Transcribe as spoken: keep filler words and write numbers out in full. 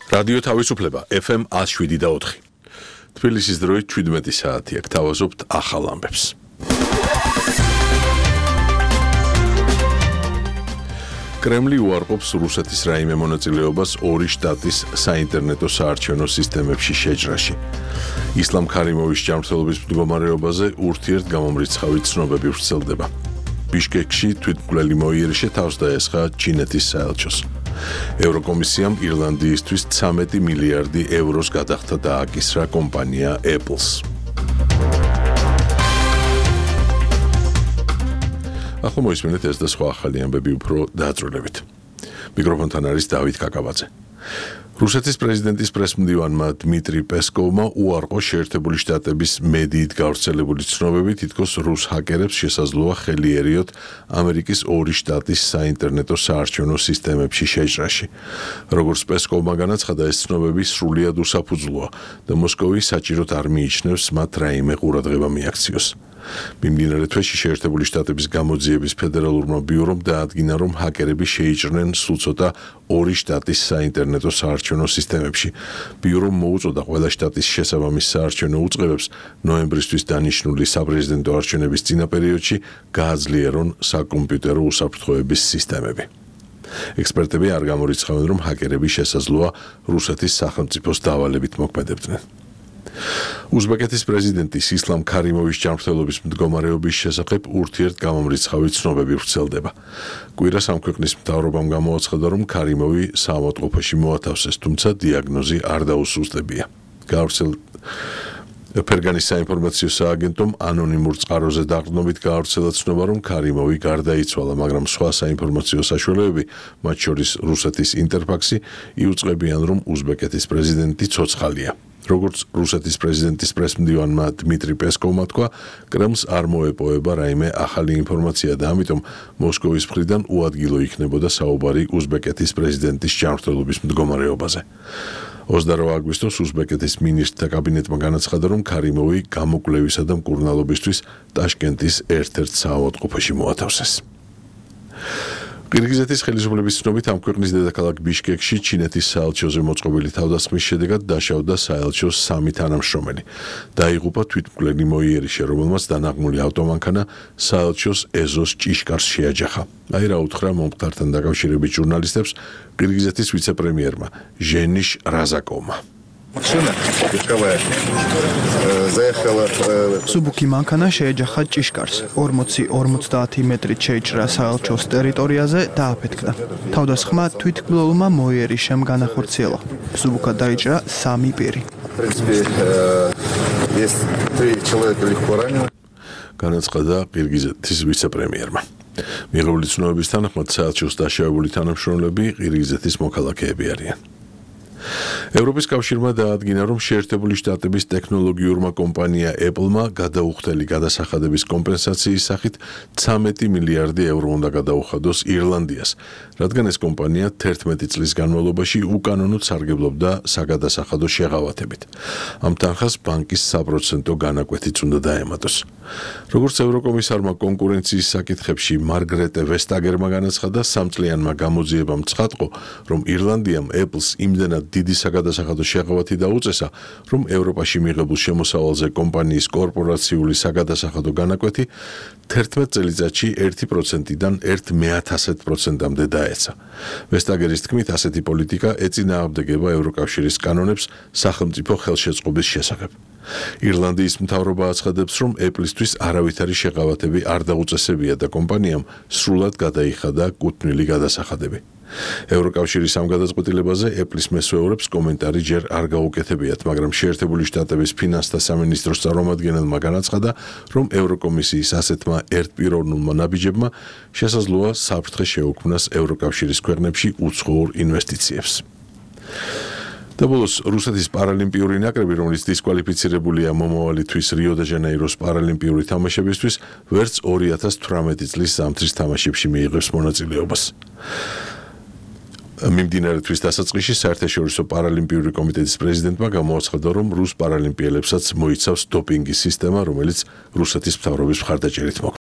რადიო თავისუფლება ეფ ემ one oh seven და ოთხი. თბილისის დროით შვიდმეტი საათი აქ თავაზობთ ახალ ამბებს. კრემლი უარყოფს რუსეთის რაიმე მონაწილეობას ორი შტატის საინტერნეტო საარჩევნო სისტემებში შეჭრაში. ისლამ ქარიმოვის ჯანმრთელობის მდგომარეობაზე ურთიერთგამომრიცხავი ცნობები ვრცელდება. ბიშკეკში თვითმკვლელი მოიერიშე თავს დაესხა ჩინეთის საელჩოს. ევროკომისიამ ირლანდიისთვის ცამეტი მილიარდი ევროს გადახდა დააკისრა კომპანია Apple-ს. ახლა მოისმენთ ეს და სხვა ახალი ამბები უფრო დააწრულებით. მიკროფონთან არის დავით კაკაბაძე. რუსეთის პრეზიდენტის პრესმდივანმა დმიტრი პესკოვმა უარყო შეერთებული შტატების მედიით გავრცელებული ცნობები, თითქოს რუს ჰაკერებს შესაძლოა ხელი ერიოთ ამერიკის ორი შტატის საინტერნეტო საარჩევნო სისტემებში შეჭრაში. როგორც პესკოვმა განაცხადა, ეს ცნობები სრულიად უსაფუძვლოა და მოსკოვი საჭიროდ არ მიიჩნევს მათ რაიმე ყურადღება მიაქციოს. მიმდინარე თვეში შეერთებული შტატების გამოძიების ფედერალურმა ბიურომ დაადგინა, რომ ჰაკერები შეიჭრნენ სულ ცოტა ორი შტატის საინტერნეტო საარჩევნო სისტემებში. ბიურომ მოუწოდა ყველა შტატის შესაბამის საარჩევნო უწყებებს ნოემბრისთვის დანიშნული საპრეზიდენტო არჩევნების წინა პერიოდში გააძლიერონ საკომპიუტერო უსაფრთხოების სისტემები. ექსპერტები არ გამორიცხავენ, რომ ჰაკერები შესაძლოა რუსეთის სახელმწიფოს დავალებით მოქმედებდნენ. უზბეკეთის პრეზიდენტის ისლამ ქარიმოვის ჯანმრთელობის მდგომარეობის შესახებ ურთიერთგამომრიცხავი ცნობები ვრცელდება. კვირას ამ ქვეყნის მთავრობამ გამოაცხადა, რომ ქარიმოვი საავადმყოფოში მოათავსეს, თუმცა დიაგნოზი არ დაუსუსტებია. გავრცელ ფერგანის საინფორმაციო სააგენტომ ანონიმურ წყაროზე დაყრდნობით გაავრცელა ცნობა, რომ ქარიმოვი გარდაიცვალა, მაგრამ სხვა საინფორმაციო საშუალებები, მათ შორის რუსეთის ინტერფაქსი, იუწყებიან, რომ უზბეკეთის პრეზიდენტი ცოცხალია. როგორც რუსეთის პრეზიდენტის პრესმდივანმა დმიტრი პესკოვმა თქვა, კრემლს არ მოეპოვება რაიმე ახალი ინფორმაცია და ამიტომ მოსკოვის მხრიდან უადგილო იქნებოდა საუბარი უზბეკეთის პრეზიდენტის ჯანმრთელობის მდგომარეობაზე. ოცდაოთხ აგვისტოს უზბეკეთის მინისტრთა კაბინეტმა განაცხადა, რომ ქარიმოვი გამოკვლევისა და მკურნალობისთვის ტაშკენტის ერთ-ერთ საავადმყოფოში მოათავსეს. ყირგიზეთის ხელისუფლების ცნობით, ამ ქვეყნის დედაქალაქ ბიშკეკში ჩინეთის საელჩოზე მოწყობილი თავდასხმის შედეგად დაშავდა საელჩოს სამი თანამშრომელი. დაიღუპა თვითმკვლელი მოიერიშე, რომელმაც დანაღმული ავტომანქანა საელჩოს ეზოს ჭიშკარს შეაჯახა. აი რა უთხრა მომხდართან დაკავშირებით ჟურნალისტებს ყირგიზეთის ვიცე-პრემიერმა ჟენიშ რაზაკოვმა. სუბუქი მანქანა შეეჯახა ჭიშკარს. ორმოცი ორმოცდაათი მეტრით შეიჭრა საელჩოს ტერიტორიაზე და აფეთქდა. თავდასხმა თვითმკვლელმა მოიერიშემ განახორციელა. სუბუქად დაიჭრა სამი პირი. განაცხადა ყირგიზეთის ვიცე-პრემიერმა. მიღებული ცნობების თანახმად საელჩოს დაშავებული თანამშრომლები ყირგიზეთის მოქალაქეები არიან. ევროპის კავშირმა დაადგინა, რომ შეერთებული შტატების ტექნოლოგიურმა კომპანია Apple-მა გადაუხდელი გადასახადების კომპენსაციის სახით ცამეტი მილიარდი ევრო უნდა გადაუხადოს ირლანდიას, რადგან ეს კომპანია თერთმეტი წლის განმავლობაში უკანონოდ სარგებლობდა საგადასახადო შეღავათებით. ამ თანხას ბანკის საპროცენტო განაკვეთიც უნდა დაემატოს. როგორც ევროკომისარმა კონკურენციის საკითხებში მარგრეტე ვესტაგერმა განაცხადა, სამწლიანმა გამოძიებამ ცხადყო, რომ ირლანდიამ Apple-ს იმდენად დიდი საგადასახადო შეღავათი დაუწესა, რომ ევროპაში მიღებულ შემოსავალზე კომპანიის კორპორაციული საგადასახადო განაკვეთი თერთმეტ წელიწადში ერთი პროცენტიდან ერთ მეათასად პროცენტამდე დაეცა. ვესტაგერის თქმით, ასეთი პოლიტიკა ეწინააღმდეგება ევროკავშირის კანონებს სახელმწიფო ხელშეწყობის შესახებ. ირლანდიის მთავრობა აცხადებს, რომ Apple-ისთვის არავითარი შეღავათები არ დაუწესებია და კომპანიამ სრულად გადაიხადა კუთვნილი გადასახადები. ევროკავშირის ამ გადაწყვეტილებაზე Apple-ის მესვეურებს კომენტარი ჯერ არ გაუკეთებიათ, მაგრამ შეერთებული შტატების ფინანსთა სამინისტროს წარმომადგენელმა განაცხადა, რომ ევროკომისიის ასეთმა ერთპიროვნულმა ნაბიჯებმა შესაძლოა საფრთხე შეუქმნას ევროკავშირის ქვეყნებში უცხოურ ინვესტიციებს. და ბოლოს რუსეთის პარალიმპიური ნაკრები, რომელიც დისკვალიფიცირებულია მომავალი თვის რიო-დე-ჟანეიროს პარალიმპიური თამაშებისთვის, ვერც ორი ათას თვრამეტი წლის ზამთრის თამაშებში მიიღებს მონაწილეობას. მიმდინარე თვის დასაწყისში საერთაშორისო პარალიმპიური კომიტეტის პრეზიდენტმა გამოაცხადა, რომ რუს პარალიმპიელებსაც მოიცავს დოპინგის სისტემა, რომელიც რუსეთის მთავრობის მხარდაჭერით მოქმედებს.